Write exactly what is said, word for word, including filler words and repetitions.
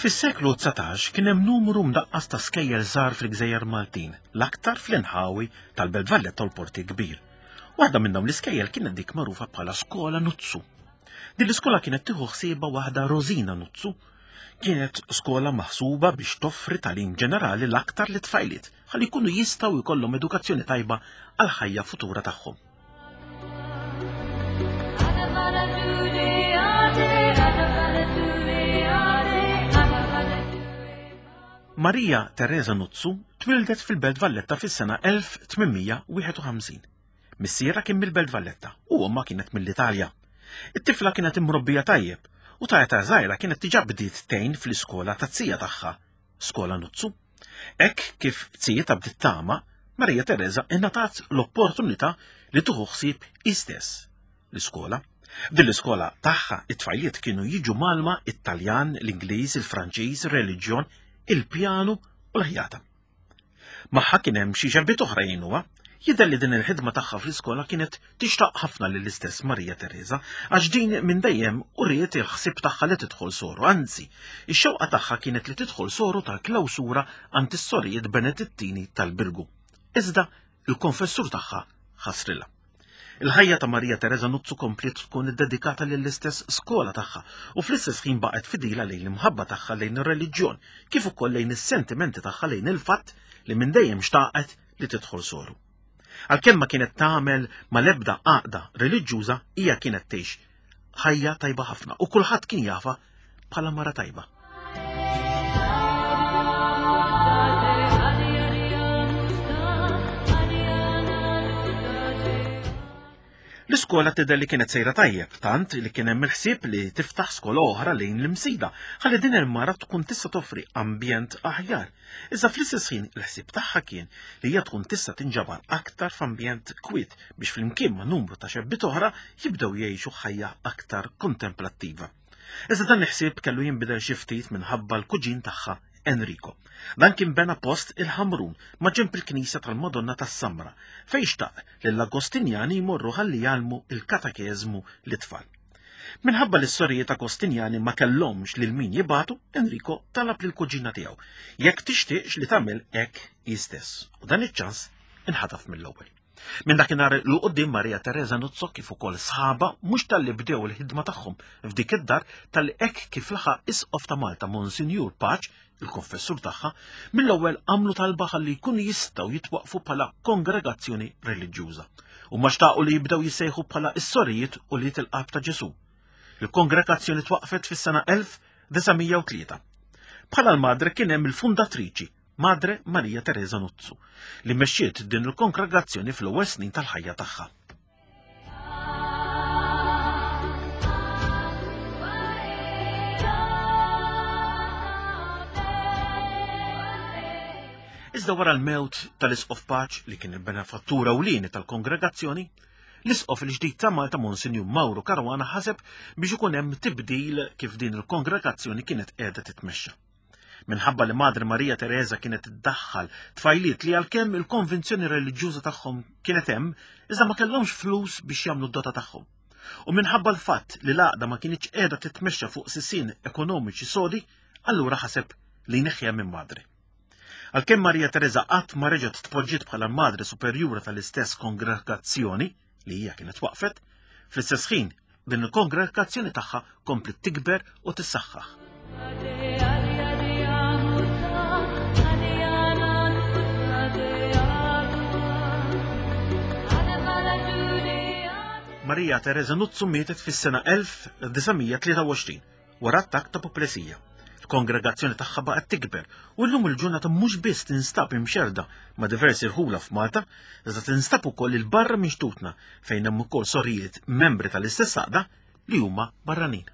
Fis-seklu dsatax kien hemm numru mdaqqas ta' skejjel żgħar fil-Gżejjer Maltin, l-aktar fl-inħawi tal-Belt Valletta u l-Porti Kbir. Waħda minn dawn l-iskejjel kienet dik magħrufa bħala Skola Nuzzu. Din l-iskola kienet tieħu ħsiebha waħda Rosina Nuzzu. Kienet skola maħsuba biex toffri tagħlim ġenerali l-aktar li tfajliet ħalli jkunu jistgħu jkollhom edukazzjoni tajba għall-ħajja futura tagħhom. Maria Teresa Nuzzu twildet fil-Belt Valletta fis-sena elf tmien mija wieħed u ħamsin. Missierha kien mill-Belt Valletta u ommha kienet mill-Italja. It-tifla kienet imrobbija tajjeb u ta' età żgħira kienet diġà bdiet tgħin fl-iskola ta' zija tagħha, Skola Nuzzu. Hekk kif zijietha bdiet tagħma, Maria Teresa ingħatat l-opportunità li tieħu ħsieb hi stess l-iskola. F'din l-iskola tagħha it-tfajliet kienu jiġu malma it-Taljan, l-Ingliż, il-Franċiż, ir-reliġjon, il-pjanu u l-ħjata. Magħha kien hemm xi xebbiet oħra jgħinuha. Jidher li din il-ħidma tagħha fl-iskola kienet tixtaq ħafna lill-istess Maria Teresa, għax din minn dejjem uriet il-ħsieb tagħha li tidħol soru, anzi, ix-xewqa tagħha kienet li tidħol soru tal-klawsura għand is-sorijiet Benedittini tal-Birgu. Iżda il-konfessur tagħha ħasrilha. Il-ħajja ta' Maria Teresa Nuzzu kompliet tkun iddedikata lill-istess skola tagħha u fl-istess ħin baqgħet fidila lejn l-imħabba tagħha lejn ir-reliġjon, kif ukoll lejn is-sentimenti tagħha lejn il-fatt li minn dejjem xtaqet li tidħol soru. Għalkemm ma kienet tagħmel mal-ebda għaqda reliġjuża, hija kienet tgħix ħajja tajba ħafna u kulħadd kien jafha bħala mara tajba. L-iskola tidher li kienet sejra tajjeb, tant li kien hemm il-ħsieb li tiftaħ skola oħra lejn l-Imsida, ħalli din il-mara tkun tista' toffri ambjent aħjar. Iżda fl-istess ħin il-ħsieb tagħha kien li hija tkun tista' tinġabar aktar f'ambjent kwiet biex flimkien ma' numru ta' xebbiet oħra jibdew jgħixu ħajja aktar kontemplattiva. Iżda dan il-ħsieb kellu jinbidel xi ftit minħabba l-kuġin tagħha Enrico. Dan kien bena post il-Ħamrun ma' ġenb il-Knisja tal-Madonna tas-Samra, fejn xtaq li l-Agostinjani jmorru ħalli jgħallmu il-katekeżmu lit-tfal. Minħabba li s-sorijiet Agostinjani ma kellhomx lil min jibatu, Enrico talab lill-kuġina tiegħu jekk tixtieqx li tagħmel hekk hi stess. U dan iċ-ċans inħataf mill-ewwel. Minn dakinhar 'l quddiem Maria Teresa Nuzzo kif ukoll sħaba mhux talli bdew il-ħidma tagħhom f'dik id-dar talli hekk kif laħaq isqof ta' Malta Monsinjur Pace, il-konfessur tagħha, mill-ewwel għamlu talba ħalli jkunu jistgħu jitwaqfu bħala kongregazzjoni reliġjuża. U ma xtaqu li jibdew jissejħu bħala s-sorijiet u li il-qalb ta' Ġesu. Il-kongregazzjoni twaqfet fis-sena elf disa' mija u tlieta. Bħala l-madre kien hemm il-fundatriċi Madre Maria Teresa Nuzzu, li mexxiet din il-kongregazzjoni fl-ewwel snin tal-ħajja tagħha. Iżda wara l-mewt tal-Isqof Pace, li kien il-benefattur ewlieni tal-kongregazzjoni, l-Isqof il-ġdid ta' Malta Monsinjur Mauro Caruana ħaseb biex ikun hemm tibdil kif din il-kongregazzjoni kienet qiegħda titmexxa. Minħabba li Madre Maria Teresa kienet iddaħħal tfajliet li għalkemm il-konvinzjoni reliġjuża tagħhom kienet hemm, iżda ma kellhomx flus biex jagħmlu d-dota tagħhom. U minħabba l-fatt li l-għaqda ma kinitx qiegħda titmexxa fuq sisien ekonomiċi sodi, allura ħaseb li jneħħiha minn Madre. Għalkemm Maria Teresa qatt ma reġgħet tpoġġiet bħala Madre Superjura tal-istess kongregazzjoni li hija kienet waqfet, fl-istess ħin din il-kongregazzjoni tagħha kompliet tikber u tissaħħaħ. Maria Teresa Nuzzu mietet fis-sena elf disa' mija tlieta u għoxrin wara attakk ta' apoplesija. Il-kongregazzjoni tagħha baqgħet tikber u llum il-ġurnata mhux biss tinstab imxerda ma' diversi rħula f'Malta, iżda tinstab ukoll il-barra minn xtutna fejn hemm ukoll sorijiet membri tal-istess għaqda li huma barranin.